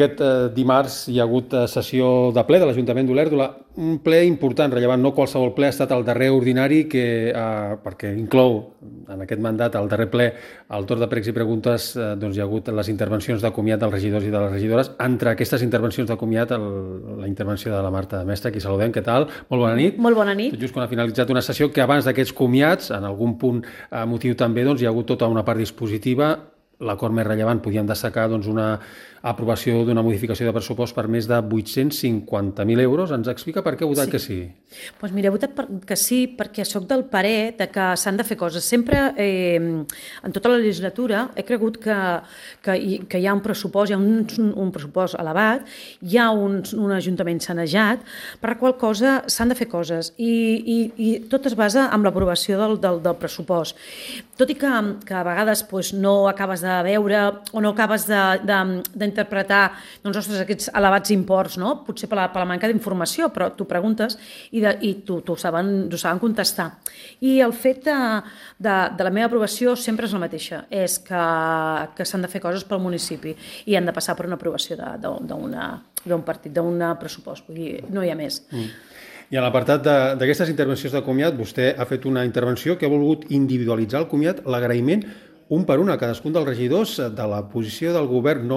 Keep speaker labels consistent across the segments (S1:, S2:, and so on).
S1: Aquest dimarts hi ha hagut sessió de ple de l'Ajuntament d'Olèrdola, un ple important, rellevant, no qualsevol ple, ha estat el darrer ordinari perquè inclou en aquest mandat, el darrer ple, al torn de pregs i preguntes, doncs hi ha hagut les intervencions de comiat dels regidors i de les regidores. Entre aquestes intervencions de comiat, la intervenció de la Marta Mestre, qui saludem, què tal? Molt bona nit.
S2: Molt bona nit.
S1: Tot just quan ha finalitzat una sessió que abans d'aquests comiats, en algun punt motiu també, doncs hi ha hagut tota una part dispositiva. L'acord més rellevant podíem destacar una aprovació d'una modificació de pressupost per més de 850.000 euros. Ens explica per què ha votat que sí?
S2: Doncs mira, he votat que sí perquè sóc del parer de que s'han de fer coses. Sempre, en tota la legislatura, he cregut que hi ha un pressupost, hi ha un pressupost elevat, hi ha un ajuntament sanejat, per la qual cosa s'han de fer coses i tot es basa en l'aprovació del pressupost. Tot i que a vegades no acabes de veure o no acabes d'interpretar aquests elevats imports, no? Potser per la manca d'informació, però tu preguntes i t'ho saben contestar. I el fet de la meva aprovació sempre és la mateixa, és que s'han de fer coses pel municipi i han de passar per una aprovació d'un partit, d'un pressupost, vull dir, no hi ha més.
S1: I en l'apartat d'aquestes intervencions de comiat, vostè ha fet una intervenció que ha volgut individualitzar el comiat, l'agraïment, un per un a cadascun dels regidors de la posició del govern, no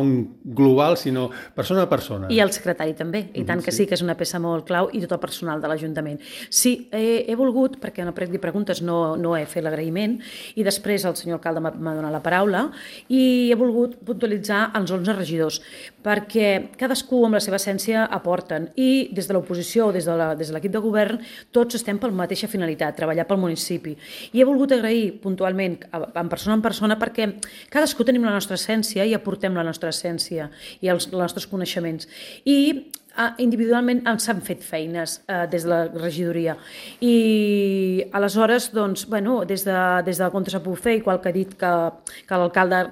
S1: global, sinó persona a persona.
S2: I el secretari també, i tant que sí, que és una peça molt clau, i tot el personal de l'Ajuntament. Sí, he volgut, perquè en el prec de preguntes no he fet l'agraïment, i després el senyor alcalde m'ha donat la paraula, i he volgut puntualitzar els 11 regidors, perquè cadascú amb la seva essència aporten, i des de l'oposició o des de l'equip de govern, tots estem per la mateixa finalitat, treballar pel municipi. I he volgut agrair puntualment, en persona, perquè cadascú tenim la nostra essència i aportem la nostra essència i els nostres coneixements. I individualment s'han fet feines des de la regidoria i aleshores des de la Contra s'ha pogut fer, igual que ha dit que l'alcalde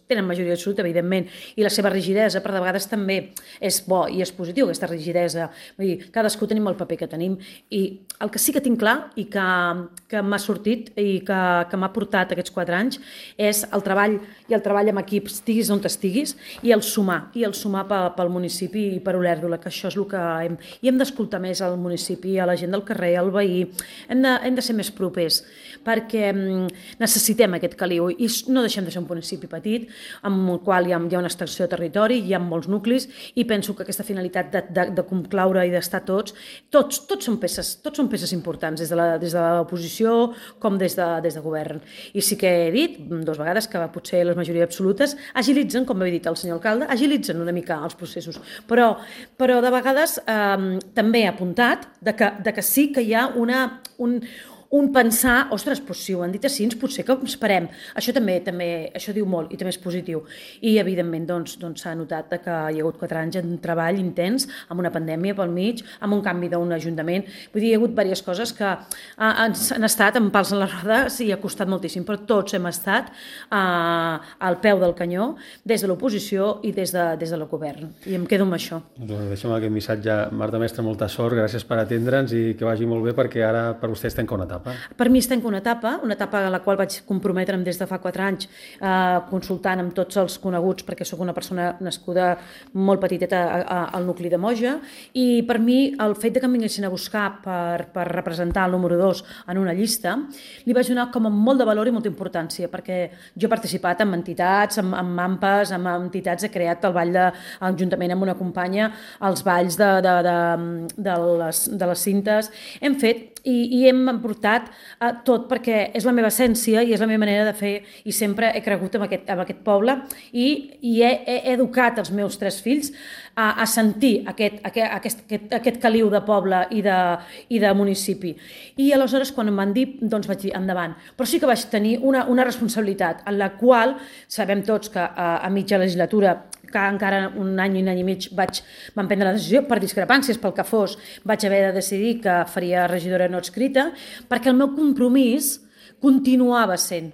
S2: tenen majoria absoluta, evidentment, i la seva rigidesa, però de vegades també és bo i és positiu aquesta rigidesa. Vull dir, cadascú tenim el paper que tenim i el que sí que tinc clar i que m'ha sortit i que m'ha portat aquests 4 anys és el treball amb equips, estiguis on estiguis, i el sumar pel municipi i per Olèrdola, que això és el que hem d'escoltar més al municipi, a la gent del carrer, al veí. Hem de ser més propers, perquè necessitem aquest caliu i no deixem de ser un municipi petit, amb el qual hi ha una extensió de territori, hi ha molts nuclis, i penso que aquesta finalitat de concloure i d'estar tots són peces importants, des de l'oposició com des de govern. I sí que he dit 2 vegades que potser les majories absolutes agilitzen, com havia dit el senyor alcalde, agilitzen una mica els processos, però de vegades també he apuntat que sí que hi ha un pensar, ostres, si ho han dit així, potser que esperem. Això també, això diu molt i també és positiu. I, evidentment, s'ha notat que hi ha hagut 4 anys de treball intens, amb una pandèmia pel mig, amb un canvi d'un ajuntament. Vull dir, hi ha hagut diverses coses que han estat amb pals a la roda, sí, ha costat moltíssim, però tots hem estat al peu del canyó, des de l'oposició i des del govern. I em quedo amb això.
S1: Deixem aquest missatge. Marta Mestre, molta sort, gràcies per atendre'ns i que vagi molt bé, perquè ara per vostè es tanca una etapa.
S2: Per mi es tanca una etapa a la qual vaig comprometre'm des de fa 4 anys consultant amb tots els coneguts, perquè sóc una persona nascuda molt petiteta al nucli de Moja, i per mi el fet que em vinguessin a buscar per representar el número 2 en una llista li vaig donar com a molt de valor i molta importància, perquè jo he participat en entitats, amb AMPAs, amb entitats, he creat el ball juntament amb una companya, els balls de les cintes, hem fet i hem portat tot, perquè és la meva essència i és la meva manera de fer, i sempre he cregut en aquest poble i he educat els meus 3 fills a sentir aquest caliu de poble i de municipi. I aleshores, quan em van dir, vaig dir endavant. Però sí que vaig tenir una responsabilitat en la qual sabem tots que a mitja legislatura, que encara un any i mig vam prendre la decisió, per discrepàncies, pel que fos, vaig haver de decidir que faria regidora no adscrita, perquè el meu compromís continuava sent.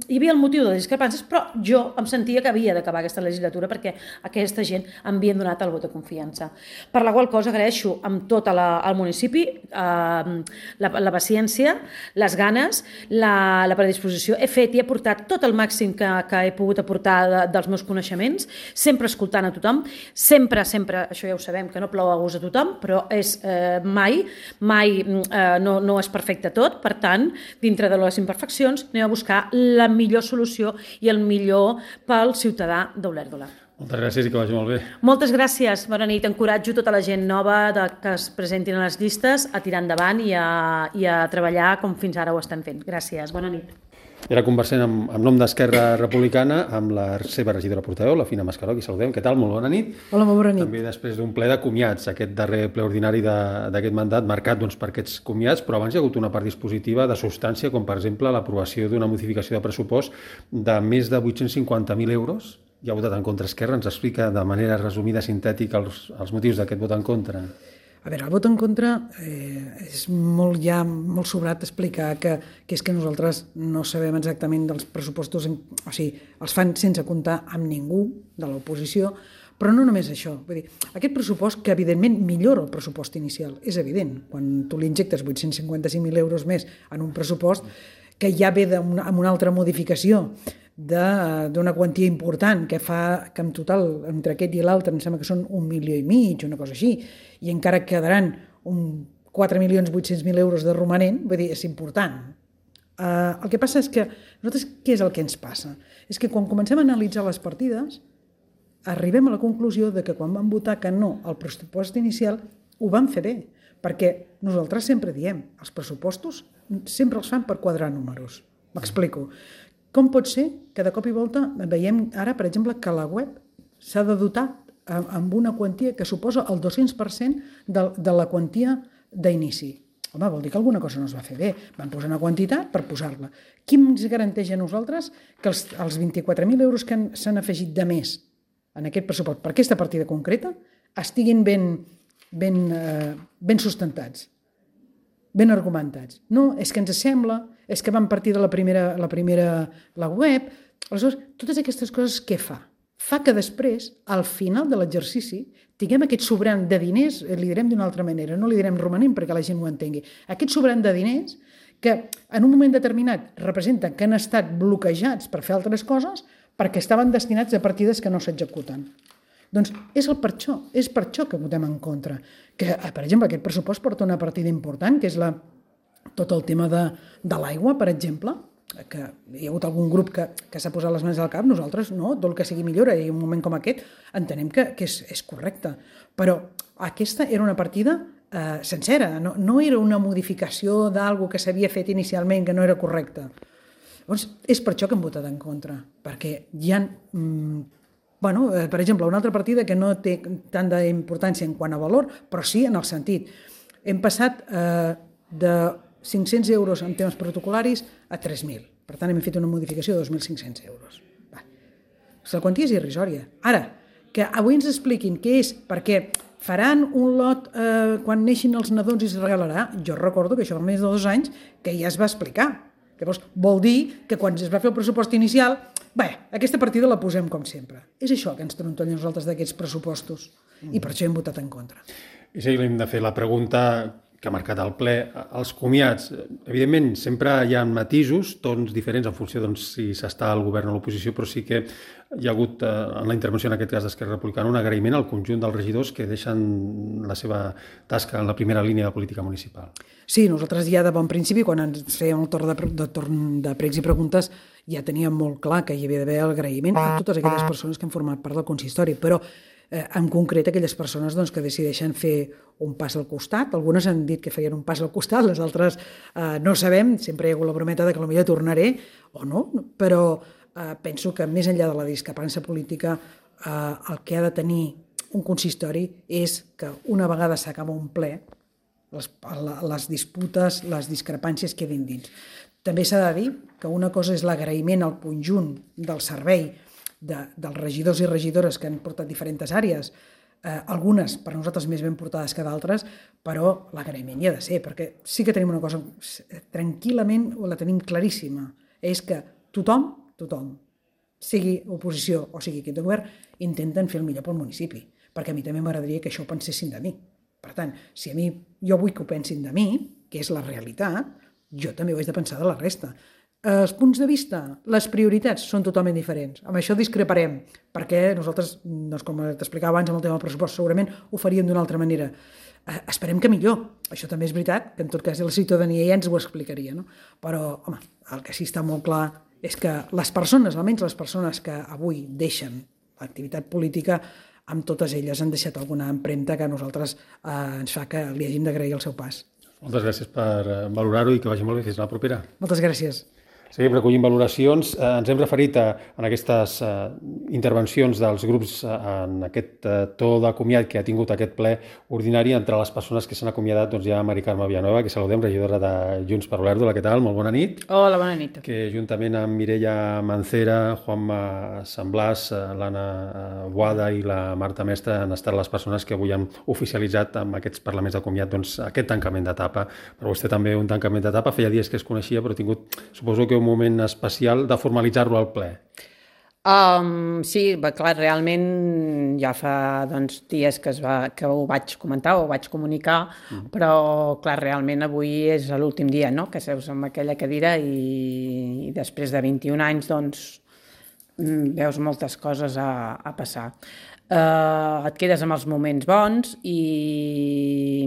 S2: Hi havia el motiu de les discrepàncies, però jo em sentia que havia d'acabar aquesta legislatura perquè aquesta gent em havien donat el vot de confiança. Per la qual cosa agraeixo amb tot el municipi la paciència, les ganes, la predisposició. He fet i he portat tot el màxim que he pogut aportar dels meus coneixements, sempre escoltant a tothom, sempre, això ja ho sabem, que no plou a gust a tothom, però és mai no és perfecte tot, per tant, dintre de les imperfeccions, anem a buscar la millor solució i el millor pel ciutadà d'Olèrdola.
S1: Moltes gràcies i que vagi molt bé.
S2: Moltes gràcies, bona nit. Encoratjo tota la gent nova que es presentin a les llistes a tirar endavant i a treballar com fins ara ho estan fent. Gràcies, bona nit.
S1: I ara conversem en nom d'Esquerra Republicana amb la seva regidora portaveu, la Fina Mascaró, qui saludem. Què tal? Molt bona nit.
S3: Hola, molt bona nit.
S1: També després d'un ple de comiats, aquest darrer ple ordinari d'aquest mandat, marcat per aquests comiats, però abans hi ha hagut una part dispositiva de substància, com per exemple l'aprovació d'una modificació de pressupost de més de 850.000 euros. Hi ha votat en contra Esquerra. Ens explica de manera resumida, sintètica, els motius d'aquest vot en contra.
S3: A veure, el vot en contra és molt sobrat explicar que és que nosaltres no sabem exactament dels pressupostos, o sigui, els fan sense comptar amb ningú de l'oposició, però no només això. Vull dir, aquest pressupost, que evidentment millora el pressupost inicial, és evident. Quan tu li injectes 855.000 euros més en un pressupost que ja ve amb una altra modificació d'una quantia important que fa que en total entre aquest i l'altre em sembla que són 1,5 milions, una cosa així, i encara quedaran 4.800.000 euros de romanent, vull dir, és important. El que passa és que nosaltres, què és el que ens passa? És que quan comencem a analitzar les partides arribem a la conclusió de que quan vam votar que no al pressupost inicial ho vam fer bé, perquè nosaltres sempre diem els pressupostos sempre els fan per quadrar números. M'explico. Com pot ser que de cop i volta veiem ara, per exemple, que la web s'ha de dotar amb una quantia que suposa el 200% de la quantia d'inici? Home, vol dir que alguna cosa no es va fer bé. Van posar una quantitat per posar-la. Qui ens garanteix a nosaltres que els 24.000 euros que s'han afegit de més en aquest pressupost per aquesta partida concreta estiguin ben sustentats, ben argumentats? No, és que ens sembla, és que van partir de la web. Aleshores, totes aquestes coses què fa? Fa que després, al final de l'exercici, tinguem aquest sobrant de diners, li direm d'una altra manera, no li direm romanent perquè la gent ho entengui, aquest sobrant de diners que en un moment determinat representen que han estat bloquejats per fer altres coses perquè estaven destinats a partides que no s'executen. Doncs és per això que votem en contra. Que, per exemple, aquest pressupost porta una partida important, que és tot el tema de l'aigua, per exemple, que hi ha hagut algun grup que s'ha posat les mans al cap. Nosaltres no, tot el que sigui millora, i en un moment com aquest entenem que és correcte. Però aquesta era una partida sencera, no era una modificació d'algo que s'havia fet inicialment que no era correcte. Llavors, és per això que hem votat en contra, perquè hi ha... per exemple, una altra partida que no té tant d'importància en quant a valor, però sí en el sentit. Hem passat de 500 euros en temes protocolaris a 3.000. Per tant, hem fet una modificació de 2.500 euros. La quantia és irrisòria. Ara, que avui ens expliquin què és, perquè faran un lot quan neixin els nadons i es regalarà. Jo recordo que això fa més de 2 anys que ja es va explicar. Llavors, vol dir que quan es va fer el pressupost inicial, aquesta partida la posem com sempre. És això que ens trontolla a nosaltres d'aquests pressupostos. I per això hem votat en contra.
S1: I sí, hem de fer la pregunta que ha marcat el ple. Els comiats, evidentment, sempre hi ha matisos, tons diferents en funció de si s'està al govern o a l'oposició, però sí que hi ha hagut, en la intervenció en aquest cas d'Esquerra Republicana, un agraïment al conjunt dels regidors que deixen la seva tasca en la primera línia de política municipal.
S3: Sí, nosaltres ja de bon principi, quan ens fèiem el torn de pregs i preguntes, ja teníem molt clar que hi havia d'haver agraïment a totes aquelles persones que han format part del consistori, però en concret aquelles persones que decideixen fer un pas al costat. Algunes han dit que feien un pas al costat, les altres no sabem, sempre hi ha hagut la brometa de que potser tornaré o no, però penso que més enllà de la discrepància política el que ha de tenir un consistori és que una vegada s'acaba un ple les disputes, les discrepàncies quedin dins. També s'ha de dir que una cosa és l'agraïment al conjunt del servei dels regidors i regidores que han portat diferents àrees algunes per nosaltres més ben portades que d'altres, però l'agraïment hi ha de ser, perquè sí que tenim una cosa, tranquil·lament la tenim claríssima, és que tothom, sigui oposició o sigui equip de govern, intenten fer el millor pel municipi, perquè a mi també m'agradaria que això ho pensessin de mi. Per tant, si a mi jo vull que ho pensin de mi, que és la realitat, jo també ho haig de pensar de la resta. Els punts de vista, les prioritats són totalment diferents. Amb això discreparem, perquè nosaltres, doncs, com t'explicava abans amb el tema del pressupost, segurament ho faríem d'una altra manera. Esperem que millor. Això també és veritat, que en tot cas la ciutadania ja ens ho explicaria, no? Però, home, el que sí està molt clar és que les persones, almenys les persones que avui deixen l'activitat política, amb totes elles han deixat alguna empremta que a nosaltres ens fa que li hàgim d'agrair el seu pas.
S1: Moltes gràcies per valorar-ho i que vagi molt bé. Fins la propera.
S3: Moltes gràcies.
S1: Seguim recollint valoracions. Ens hem referit en aquestes intervencions dels grups en aquest to de comiat que ha tingut aquest ple ordinari. Entre les persones que s'han acomiadat hi ha Mari Carme Villanueva, que saludem, regidora de Junts per Olèrdola. Què tal? Molt bona nit.
S4: Hola, bona nit.
S1: Que juntament amb Mireia Mancera, Juanma Sant Blas, l'Anna Boada i la Marta Mestre han estat les persones que avui han oficialitzat amb aquests parlaments de comiat aquest tancament d'etapa. Per vostè també un tancament d'etapa. Feia dies que es coneixia, però ha tingut, suposo que un moment especial de formalitzar-lo al ple.
S4: Sí, clar, realment ja fa dies que ho vaig comentar, ho vaig comunicar, però clar, realment avui és l'últim dia, no?, que seus en aquella cadira i després de 21 anys veus moltes coses a passar. Et quedes amb els moments bons i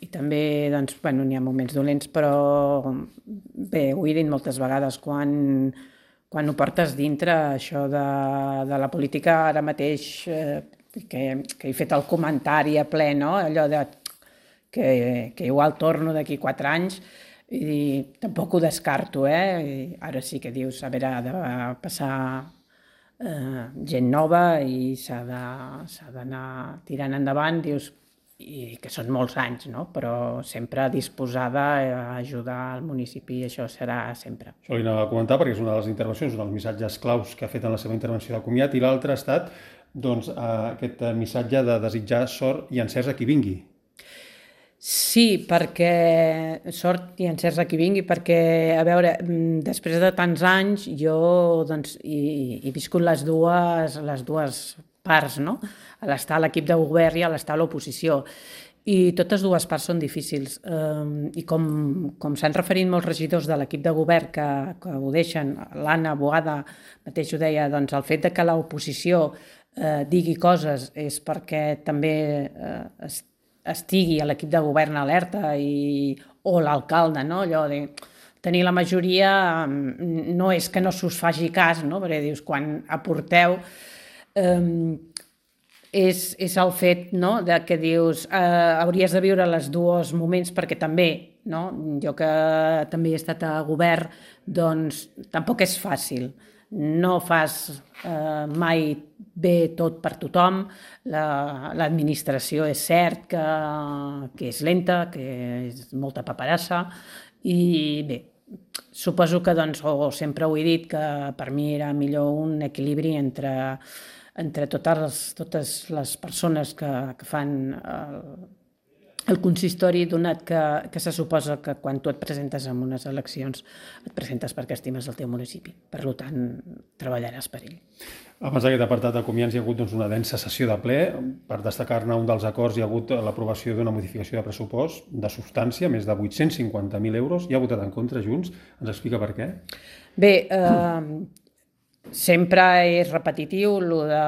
S4: també n'hi ha moments dolents, però bé, ho he dit moltes vegades, quan ho portes dintre, això de la política ara mateix, que he fet el comentari a ple, no?, allò de que igual torno d'aquí 4 anys, i tampoc ho descarto, I ara sí que dius, a veure, ha de passar gent nova i s'ha d'anar tirant endavant, dius, i que són molts anys, no?, però sempre disposada a ajudar el municipi, això serà sempre.
S1: Això li anava a comentar perquè és una de les intervencions, un dels missatges claus que ha fet en la seva intervenció de comiat, i l'altre ha estat aquest missatge de desitjar sort i encerts a qui vingui.
S4: Sí, perquè sort i encerts a qui vingui, perquè, a veure, després de tants anys jo he viscut les dues parts, no?, a l'estar a l'equip de govern i a l'estar a l'oposició, i totes dues parts són difícils, i com s'han referit molts regidors de l'equip de govern que ho deixen, l'Anna Boada mateix ho deia, el fet que l'oposició digui coses és perquè també estigui a l'equip de govern alerta o l'alcalde, no?, allò de tenir la majoria no és que no s'us faci cas, no?, perquè dius, quan aporteu és el fet, no?, de que dius hauries de viure els dos moments, perquè també, no?, jo que també he estat a govern, doncs tampoc és fàcil. No fas mai bé tot per tothom, l'administració és cert que és lenta, que és molta paperassa, i bé, suposo que sempre ho he dit, que per mi era millor un equilibri entre totes les persones que fan el consistori, donat que se suposa que quan tu et presentes en unes eleccions et presentes perquè estimes el teu municipi. Per tant, treballaràs per ell.
S1: Abans d'aquest apartat de comiats hi ha hagut una densa sessió de ple. Per destacar-ne un dels acords hi ha hagut l'aprovació d'una modificació de pressupost de substància, més de 850.000 euros. Hi ha votat en contra Junts? Ens explica per què?
S4: Bé, sempre és repetitiu, el de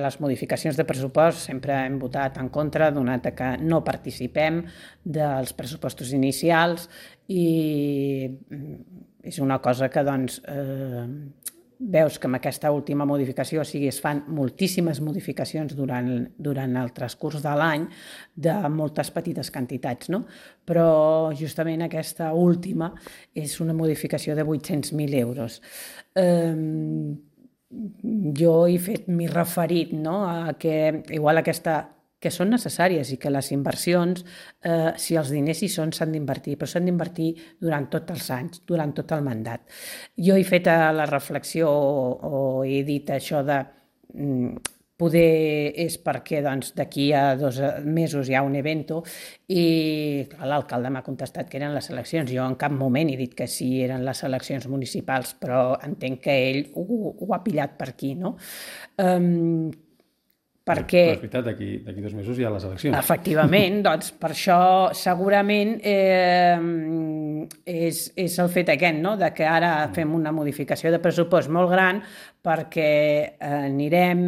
S4: les modificacions de pressupost, sempre hem votat en contra, donat que no participem dels pressupostos inicials, i és una cosa que veus que amb aquesta última modificació, es fan moltíssimes modificacions durant el transcurs de l'any de moltes petites quantitats, no? Però justament aquesta última és una modificació de 800.000 euros. Jo m'he referit, no?, a que igual que són necessàries i que les inversions, si els diners hi són, s'han d'invertir, però s'han d'invertir durant tots els anys, durant tot el mandat. Jo he fet la reflexió o he dit això de poder és perquè d'aquí a 2 mesos hi ha un evento i l'alcalde m'ha contestat que eren les eleccions. Jo en cap moment he dit que sí eren les eleccions municipals, però entenc que ell ho ha pillat per aquí, no? Perquè...
S1: Però és veritat, d'aquí 2 mesos hi ha les eleccions.
S4: Efectivament, doncs per això segurament és el fet aquest, no? De que ara fem una modificació de pressupost molt gran perquè anirem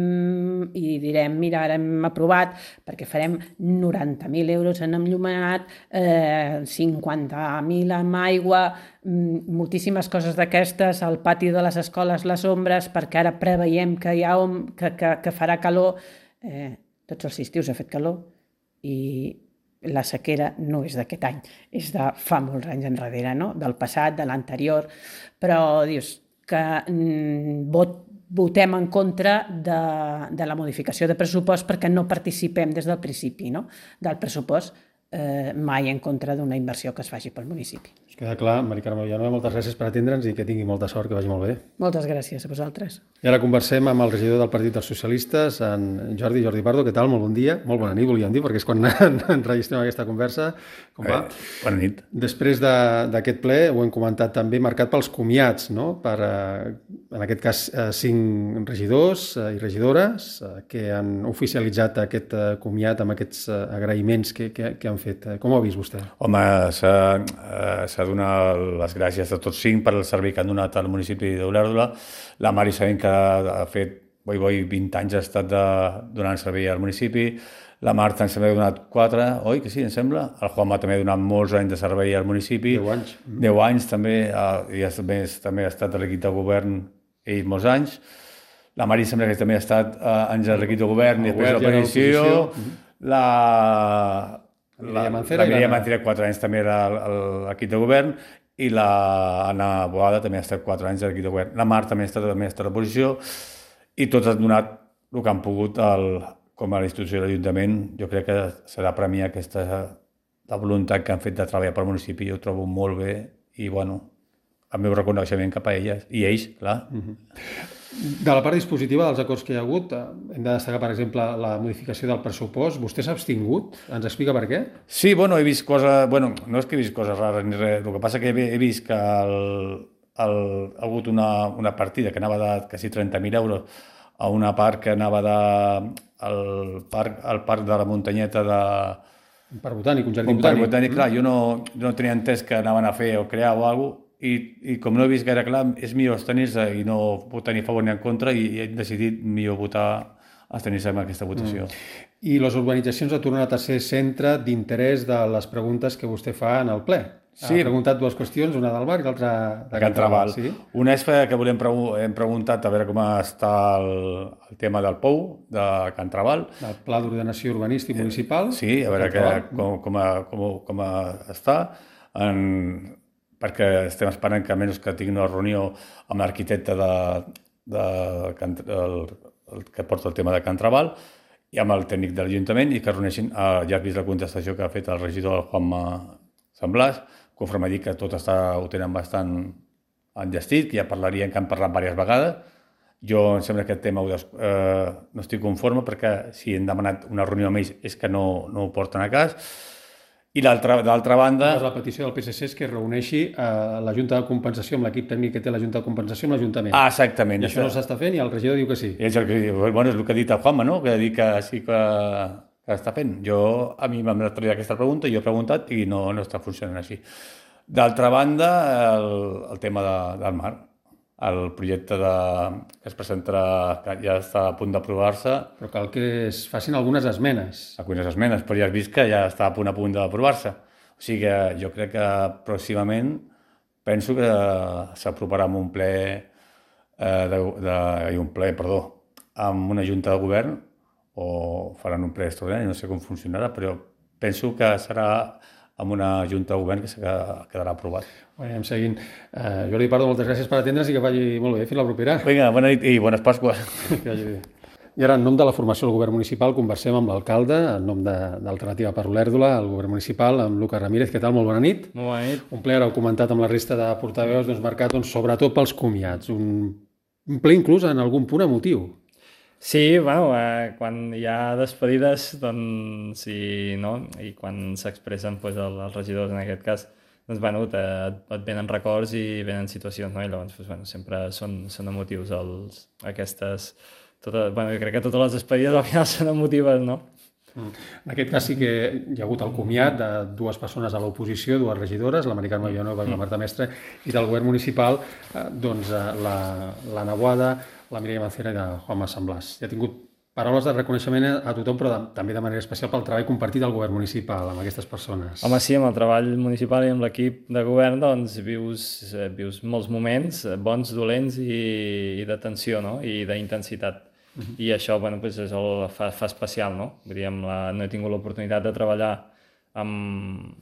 S4: i direm, mira, ara hem aprovat perquè farem 90.000 euros en enllumenat, 50.000 amb aigua, moltíssimes coses d'aquestes, al pati de les escoles les ombres, perquè ara preveiem que hi ha que farà calor. Tots els estius ha fet calor i la sequera no és d'aquest any, és de fa molts anys enrere, no? Del passat, de l'anterior, però dius que votem en contra de la modificació de pressupost perquè no participem des del principi, no? Del pressupost, mai en contra d'una inversió que es faci pel municipi.
S1: Us queda clar, Mari Carme Villanueva, moltes gràcies per atendre'ns i que tingui molta sort, que vagi molt bé.
S4: Moltes gràcies a vosaltres.
S1: I ara conversem amb el regidor del Partit dels Socialistes, en Jordi Pardo. Què tal? Molt bon dia. Molt bona nit, volíem dir, perquè és quan enregistrem aquesta conversa. Com va?
S5: Bona nit.
S1: Després d'aquest ple, ho hem comentat també, marcat pels comiats, no? Per, en aquest cas, 5 regidors i regidores que han oficialitzat aquest comiat amb aquests agraïments que han fet. Com ho ha vist vostè?
S5: Home, s'ha donat les gràcies a tots 5 per el servei que han donat al municipi d'Olèrdola. La Mari sabem que ha fet 20 anys ha estat donant servei al municipi. La Marta ens ha donat 4, oi que sí, em sembla? El Juanma també ha donat molts anys de servei al municipi.
S1: 10 anys.
S5: 10 anys també, i a més també ha estat a l'equip de govern ell molts anys. La Mari sembla que també ha estat anys a l'equip de govern i després a l'oposició. La Mireia Mancera 4 anys també era a l'equip de govern i l'Anna Boada també ha estat 4 anys a l'equip de govern. La Marta també ha estat a l'oposició i tots han donat el que han pogut com a l'institució de l'Ajuntament. Jo crec que s'ha de premiar la voluntat que han fet de treballar pel municipi. Jo ho trobo molt bé i, bueno, el meu reconeixement cap a elles i ells, clar.
S1: De la part dispositiva dels acords que hi ha hagut, hem de destacar, per exemple, la modificació del pressupost. Vostè s'ha abstingut? Ens explica per què?
S5: Sí, bueno, he vist coses... Bueno, no és que he vist coses rares ni res. El que passa que he vist que ha hagut una partida que anava de quasi 30.000 euros a una part que anava al parc de la muntanyeta de...
S1: Un parc botànic, un jardí
S5: botànic. Un parc botànic, clar. Jo no tenia entès que anaven a fer o crear o alguna cosa. I com no he vist gaire clar, és millor abstenir-se i no votar ni a favor ni en contra i he decidit millor abstenir-se en aquesta votació.
S1: I les urbanitzacions ha tornat a ser centre d'interès de les preguntes que vostè fa en el ple. Sí. Ha preguntat 2 qüestions, una del bar i l'altra
S5: de Can Trabal. Sí? Una és que hem preguntat a veure com està el tema del POU, de Can Trabal.
S1: El Pla d'Ordenació Urbanístic Municipal.
S5: Sí, a veure com està. Perquè estem esperant que almenys que tingui una reunió amb l'arquitecte que porta el tema de Can Trabal i amb el tècnic de l'Ajuntament i que reuneixin, ja has vist la contestació que ha fet el regidor Juanma Sant Blas, conforme ha dit que tot ho tenen bastant enllestit, que ja parlarien, que han parlat diverses vegades. Jo em sembla que aquest tema no estic conforme perquè si hem demanat una reunió amb ells és que no ho porten a cas. I d'altra banda...
S1: La petició del PSC és que reuneixi la Junta de Compensació amb l'equip tècnic que té la Junta de Compensació amb l'Ajuntament.
S5: Ah, exactament.
S1: I això no s'està fent i el regidor diu que sí.
S5: És el que ha dit el Juanma, no? Que ha dit que sí que està fent. A mi m'han traït aquesta pregunta, jo he preguntat i no està funcionant així. D'altra banda, el tema del mar. El projecte que es presentarà, que ja està a punt d'aprovar-se.
S1: Però cal que es facin algunes esmenes.
S5: Algunes esmenes, però ja has vist que ja està a punt d'aprovar-se. O sigui que jo crec que pròximament penso que s'aprovarà amb un ple, amb una junta de govern, o faran un ple extraordinari, no sé com funcionarà, però penso que serà amb una junta de govern que quedarà aprovat.
S1: Anem seguint. Jordi Pardo, moltes gràcies per atendre'ns i que vagi molt bé. Fins la propera.
S5: Vinga, bona nit i bones Pasques.
S1: I ara, en nom de la formació del govern municipal, conversem amb l'alcalde, en nom d'Alternativa per Olèrdola, el govern municipal, amb Lucas Ramírez. Què tal? Molt bona nit.
S6: Molt bona nit.
S1: Un ple, ara heu comentat amb la resta de portaveus, marcat sobretot pels comiats. Un ple inclús en algun punt emotiu.
S6: Sí, bueno, quan hi ha despedides, doncs sí, no? I quan s'expressen doncs, els regidors, en aquest cas, doncs, bueno, et venen records i venen situacions, no? I llavors, doncs, bueno, sempre són emotius bueno, jo crec que totes les despedides al final són emotives, no?
S1: En aquest cas sí que hi ha hagut el comiat de dues persones a l'oposició, dues regidores, la Maricarme Villanueva i la Marta Mestre, i del govern municipal, la Naguada, la Mireia Mancera i de Juanma Samblàs. Ja ha tingut paraules de reconeixement a tothom, però també de manera especial pel treball compartit del govern municipal amb aquestes persones.
S6: Home, sí, amb el treball municipal i amb l'equip de govern doncs vius molts moments bons, dolents i de tensió, no? I d'intensitat. I això, bueno, doncs fa especial, no? Vull dir, no he tingut l'oportunitat de treballar amb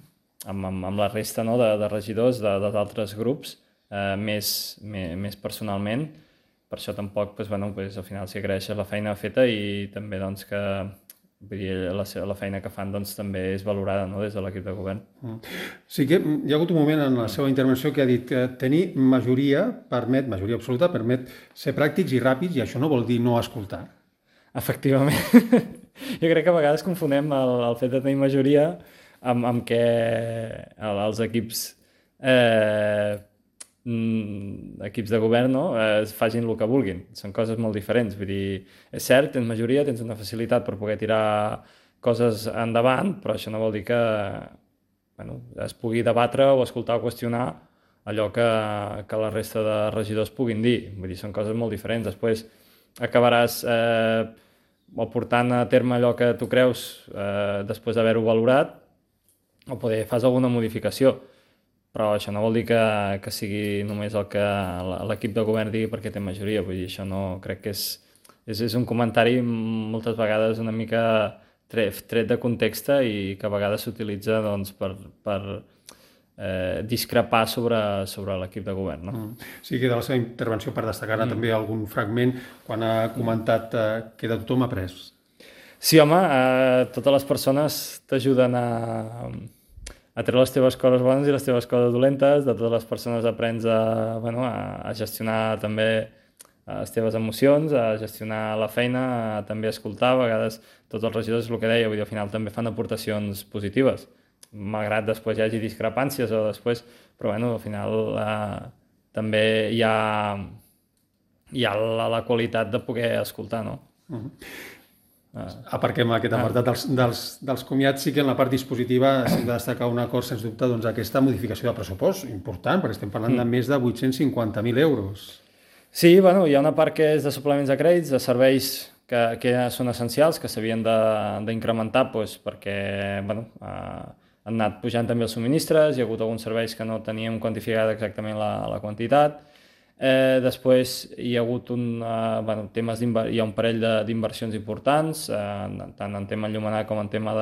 S6: la resta, no? de regidors dels altres grups, més personalment. Per això tampoc, doncs, bueno, doncs, al final s'hi agraeixes la feina feta i també doncs, que vull dir, la feina que fan doncs, també és valorada, no? Des de l'equip de govern.
S1: Sí que hi ha hagut un moment en la seva intervenció que ha dit que tenir majoria absoluta permet ser pràctics i ràpids, i això no vol dir no escoltar.
S6: Efectivament. Jo crec que a vegades confonem el fet de tenir majoria amb que els equips de govern, no? Facin el que vulguin. Són coses molt diferents. Vull dir, és cert, tens majoria, tens una facilitat per poder tirar coses endavant, però això no vol dir que es pugui debatre o escoltar o qüestionar allò que la resta de regidors puguin dir. Vull dir, són coses molt diferents. Després acabaràs o portant a terme allò que tu creus després d'haver-ho valorat, o poder fas alguna modificació. Però això no vol dir que sigui només el que l'equip de govern digui perquè té majoria. Vull dir, això no crec que és un comentari moltes vegades una mica tret de context i que a vegades s'utilitza doncs, per discrepar sobre l'equip de govern. No?
S1: Sí que de la seva intervenció, per destacar també algun fragment, quan ha comentat que de tothom ha après.
S6: Sí, home, totes les persones t'ajuden a treure les teves coses bones i les teves coses dolentes. De totes les persones aprens a gestionar també les teves emocions, a gestionar la feina, a també escoltar. A vegades tots els regidors, el que deia, vull dir, al final també fan aportacions positives, malgrat després hi hagi discrepàncies o després, però bueno, al final també hi ha la qualitat de poder escoltar, no?
S1: Aparquem aquest apartat dels comiats. Sí que en la part dispositiva s'ha de destacar un acord, sens dubte, doncs, aquesta modificació de pressupost important, perquè estem parlant de més de 850.000 euros.
S6: Sí, bueno, hi ha una part que és de suplements de crèdits, de serveis que són essencials, que s'havien d'incrementar doncs, perquè han anat pujant també els subministres, hi ha hagut alguns serveis que no teníem quantificada exactament la quantitat. Després hi ha hagut hi ha un parell d'inversions importants, tant en tema enllumenat com en tema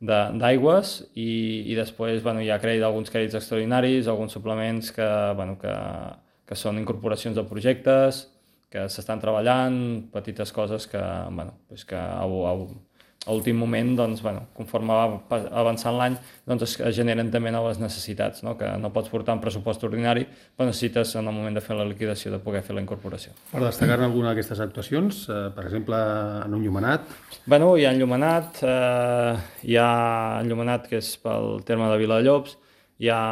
S6: d'aigües, i després hi ha alguns crèdits extraordinaris, alguns suplements que són incorporacions de projectes, que s'estan treballant, petites coses que a últim moment, conforme va avançant l'any, es generen també noves necessitats, no? Que no pots portar un pressupost ordinari, però necessites en el moment de fer la liquidació de poder fer la incorporació.
S1: Per destacar-ne alguna d'aquestes actuacions, per exemple, en enllumenat?
S6: Bueno, hi ha enllumenat, que és pel terme de Viladellobs, hi ha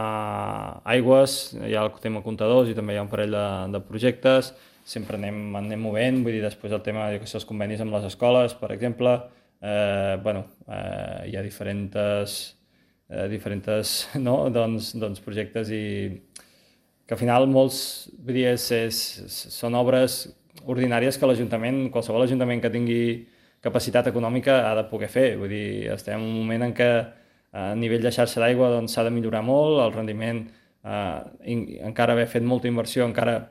S6: aigües, hi ha el tema comptadors i també hi ha un parell de projectes, sempre anem movent, vull dir, després el tema de els convenis amb les escoles, per exemple, hi ha diferents projectes i que al final molts són obres ordinàries que qualsevol ajuntament que tingui capacitat econòmica ha de poder fer. Vull dir, estem en un moment en què a nivell de xarxa d'aigua s'ha de millorar molt, el rendiment encara haver fet molta inversió encara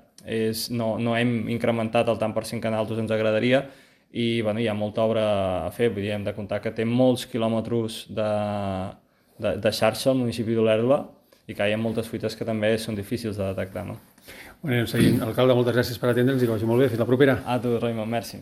S6: no hem incrementat el tant per cent que a nosaltres ens agradaria, i hi ha molta obra a fer. Vull dir, hem de comptar que té molts quilòmetres de xarxa al municipi d'Olèrdola i que hi ha moltes fuites que també són difícils de detectar. No?
S1: Seguint, alcalde, moltes gràcies per atendre'ns i que vagi molt bé. Fins la propera.
S6: A tu, Raimon, merci.